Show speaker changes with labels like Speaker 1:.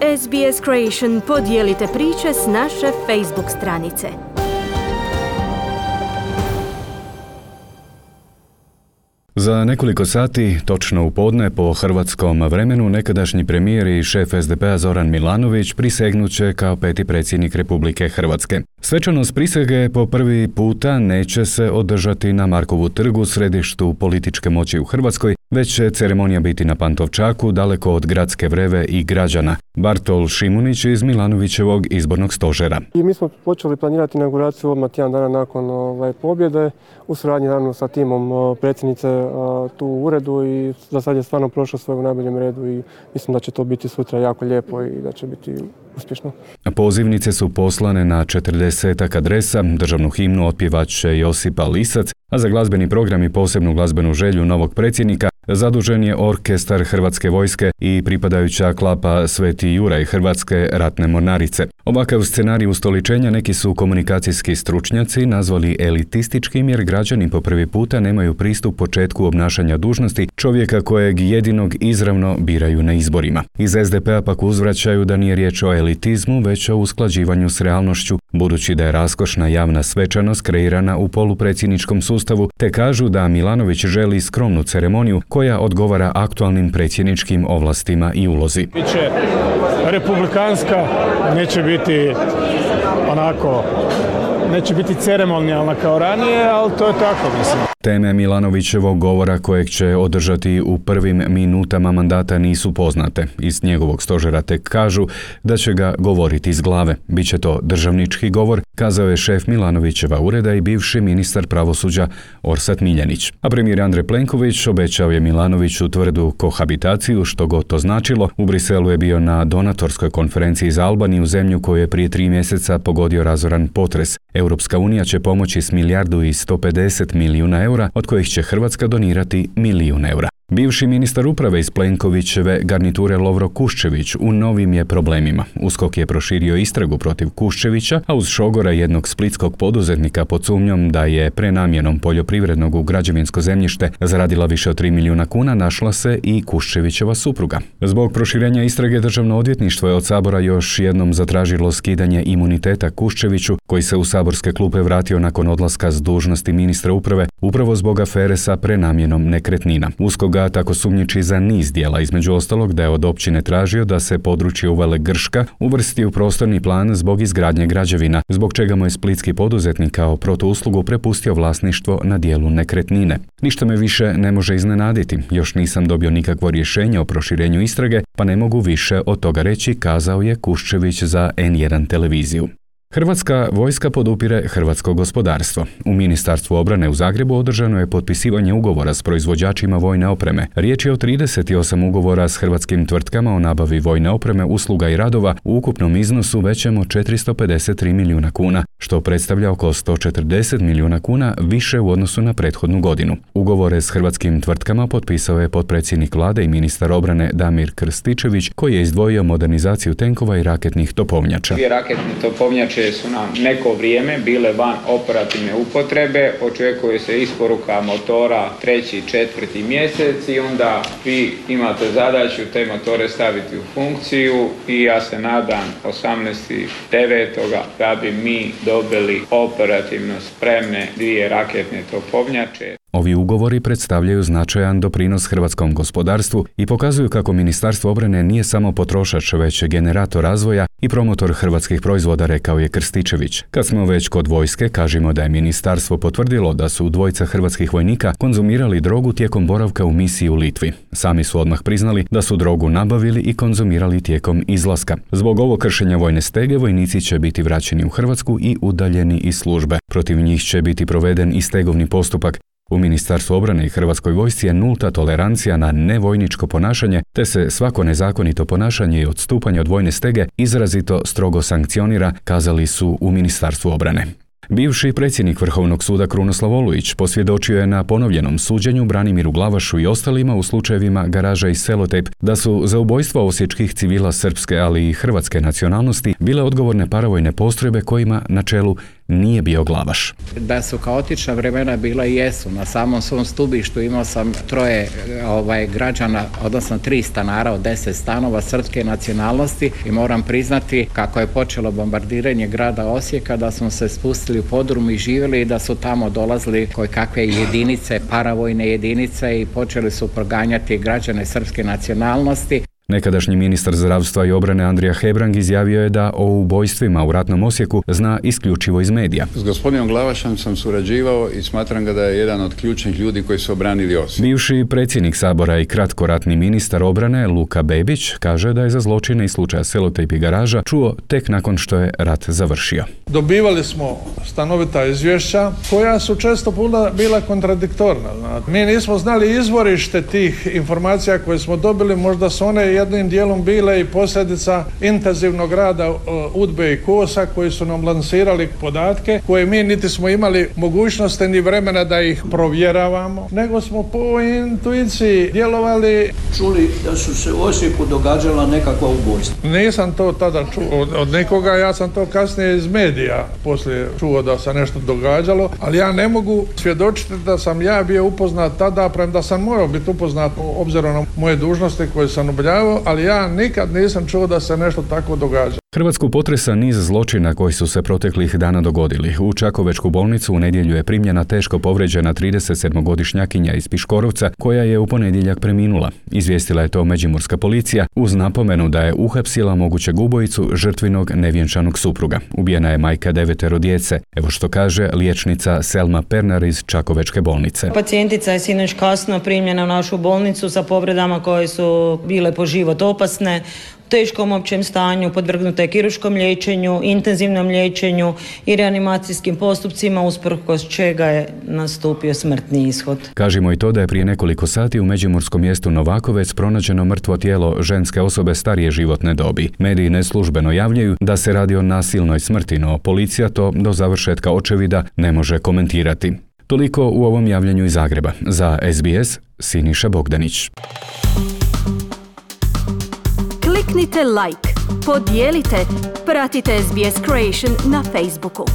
Speaker 1: SBS Creation podijelite priče s naše Facebook stranice.
Speaker 2: Za nekoliko sati, točno u podne po hrvatskom vremenu, nekadašnji premijer i šef SDP-a Zoran Milanović prisegnuće kao peti predsjednik Republike Hrvatske. Svečanost prisege po prvi puta neće se održati na Markovu trgu, središtu političke moći u Hrvatskoj, već će ceremonija biti na Pantovčaku, daleko od gradske vreve i građana. Bartol Šimunić iz Milanovićevog izbornog stožera.
Speaker 3: I mi smo počeli planirati inauguraciju odmah tjedan dana nakon pobjede, u suradnji naravno sa timom predsjednice tu u uredu, i za sad je stvarno prošlo sve u najboljem redu i mislim da će to biti sutra jako lijepo i da će biti uspješno.
Speaker 2: Pozivnice su poslane na 40 adresa, državnu himnu otpjevat će Josipa Lisac, a za glazbeni program i posebnu glazbenu želju novog predsjednika zadužen je orkestar Hrvatske vojske i pripadajuća klapa Sveti Juraj Hrvatske ratne mornarice. Ovakav scenarij ustoličenja neki su komunikacijski stručnjaci nazvali elitističkim, jer građani po prvi puta nemaju pristup početku obnašanja dužnosti čovjeka kojeg jedinog izravno biraju na izborima. Iz SDP-a pak uzvraćaju da nije riječ o elitizmu, već o usklađivanju s realnošću, budući da je raskošna javna svečanost kreirana u polupredsjedničkom sustavu, te kažu da Milanović želi skromnu ceremoniju koja odgovara aktualnim predsjedničkim ovlastima i ulozi.
Speaker 4: Biće republikanska, neće biti onako, neće biti ceremonijalna kao ranije, ali to je tako, mislim.
Speaker 2: Teme Milanovićevog govora kojeg će održati u prvim minutama mandata nisu poznate. Iz njegovog stožera tek kažu da će ga govoriti iz glave. Biće to državnički govor, kazao je šef Milanovićeva ureda i bivši ministar pravosuđa Orsat Miljenić. A premijer Andrej Plenković obećao je Milanoviću tvrdu kohabitaciju, što god to značilo. U Briselu je bio na donatorskoj konferenciji za Albaniju, zemlju koju je prije 3 mjeseca pogodio razoran potres. Europska unija će pomoći s 1,150 milijuna eura, od kojih će Hrvatska donirati 1 milijun eura. Bivši ministar uprave iz Plenkovićeve garniture Lovro Kuščević u novim je problemima. USKOK je proširio istragu protiv Kuščevića, a uz šogora jednog splitskog poduzetnika pod sumnjom da je prenamjenom poljoprivrednog u građevinsko zemljište zaradila više od 3 milijuna kuna, našla se i Kuščevićeva supruga. Zbog proširenja istrage Državno odvjetništvo je od Sabora još jednom zatražilo skidanje imuniteta Kuščeviću, koji se u saborske klupe vratio nakon odlaska s dužnosti ministra uprave, upravo zbog afere sa prenamjenom nekretnina. USKOK ga tako sumnjiči za niz djela, između ostalog da je od općine tražio da se područje Uvele Grška uvrsti u prostorni plan zbog izgradnje građevina, zbog čega mu je splitski poduzetnik kao protuuslugu prepustio vlasništvo na dijelu nekretnine. Ništa me više ne može iznenaditi, još nisam dobio nikakvo rješenje o proširenju istrage, pa ne mogu više od toga reći, kazao je Kuščević za N1 televiziju. Hrvatska vojska podupire hrvatsko gospodarstvo. U Ministarstvu obrane u Zagrebu održano je potpisivanje ugovora s proizvođačima vojne opreme. Riječ je o 38 ugovora s hrvatskim tvrtkama o nabavi vojne opreme, usluga i radova u ukupnom iznosu većem od 453 milijuna kuna, što predstavlja oko 140 milijuna kuna više u odnosu na prethodnu godinu. Ugovore s hrvatskim tvrtkama potpisao je potpredsjednik vlade i ministar obrane Damir Krstičević, koji je izdvojio modernizaciju tenkova i raketnih topovnjača.
Speaker 5: 2 raketne topovnjače su nam neko vrijeme bile van operativne upotrebe, očekuje se isporuka motora 3. i 4. mjesec i onda vi imate zadaću te motore staviti u funkciju i ja se nadam 18.9. da bi mi dobili operativno spremne 2 raketne topovnjače.
Speaker 2: Ovi ugovori predstavljaju značajan doprinos hrvatskom gospodarstvu i pokazuju kako Ministarstvo obrane nije samo potrošač, već generator razvoja i promotor hrvatskih proizvoda, rekao je Krstičević. Kad smo već kod vojske, kažemo da je ministarstvo potvrdilo da su 2 hrvatskih vojnika konzumirali drogu tijekom boravka u misiji u Litvi. Sami su odmah priznali da su drogu nabavili i konzumirali tijekom izlaska. Zbog ovog kršenja vojne stege, vojnici će biti vraćeni u Hrvatsku i udaljeni iz službe. Protiv njih će biti proveden i stegovni postupak. U Ministarstvu obrane i Hrvatskoj vojsci je nulta tolerancija na nevojničko ponašanje, te se svako nezakonito ponašanje i odstupanje od vojne stege izrazito strogo sankcionira, kazali su u Ministarstvu obrane. Bivši predsjednik Vrhovnog suda Krunoslav Olujić posvjedočio je na ponovljenom suđenju Branimiru Glavašu i ostalima u slučajevima Garaža i Selotejp da su za ubojstvo osječkih civila srpske, ali i hrvatske nacionalnosti bile odgovorne paravojne postrojbe kojima na čelu nije bio Glavaš.
Speaker 6: Da su kaotična vremena bila i jesu. Na samom svom stubištu imao sam 3 građana, odnosno 3 stanara od 10 stanova srpske nacionalnosti i moram priznati kako je počelo bombardiranje grada Osijeka da smo se spustili u podrum i živjeli i da su tamo dolazili kakve jedinice, paravojne jedinice i počeli su proganjati građane srpske nacionalnosti.
Speaker 2: Nekadašnji ministar zdravstva i obrane Andrija Hebrang izjavio je da o ubojstvima u ratnom Osijeku zna isključivo iz medija.
Speaker 7: S gospodinom Glavašem sam surađivao i smatram ga da je jedan od ključnih ljudi koji su obranili Osijek.
Speaker 2: Bivši predsjednik Sabora i kratkoratni ministar obrane Luka Bebić kaže da je za zločine iz slučaja Selotejp i Garaža čuo tek nakon što je rat završio.
Speaker 8: Dobivali smo stanovita izvješća koja su često puta bila kontradiktorna. Mi nismo znali izvorište tih informacija koje smo dobili, možda su one jednim dijelom bile i posljedica intenzivnog rada UDBE i KOS-a koji su nam lansirali podatke koje mi niti smo imali mogućnosti ni vremena da ih provjeravamo, nego smo po intuiciji djelovali.
Speaker 9: Čuli da su se u Osijeku događala nekakva ubojstva.
Speaker 8: Nisam to tada čuo od nikoga, ja sam to kasnije iz medija poslije čuo da se nešto događalo, ali ja ne mogu svjedočiti da sam ja bio upoznat tada, premda sam morao biti upoznat obzirom na moje dužnosti koje sam obavljao, ali ja nikad nisam čuo da se nešto tako događa.
Speaker 2: Hrvatsku potresa niz zločina koji su se proteklih dana dogodili. U Čakovečku bolnicu u nedjelju je primljena teško povrijeđena 37-godišnjakinja iz Piškorovca koja je u ponedjeljak preminula. Izvijestila je to međimurska policija uz napomenu da je uhapsila mogućeg ubojicu žrtvinog nevjenčanog supruga. Ubijena je majka 9 djece. Evo što kaže liječnica Selma Pernar iz Čakovečke bolnice.
Speaker 10: Pacijentica je sinoć kasno primljena u našu bolnicu sa povredama koje su bile po život opasne, u teškom općem stanju, podvrgnuta je kirurškom liječenju, intenzivnom liječenju i reanimacijskim postupcima, usprkos čega je nastupio smrtni ishod.
Speaker 2: Kažimo i to da je prije nekoliko sati u međimurskom mjestu Novakovec pronađeno mrtvo tijelo ženske osobe starije životne dobi. Mediji neslužbeno javljaju da se radi o nasilnoj smrti, no policija to do završetka očevida ne može komentirati. Toliko u ovom javljanju iz Zagreba. Za SBS, Siniša Bogdanić.
Speaker 1: Kliknite like, podijelite, pratite SBS Creation na Facebooku.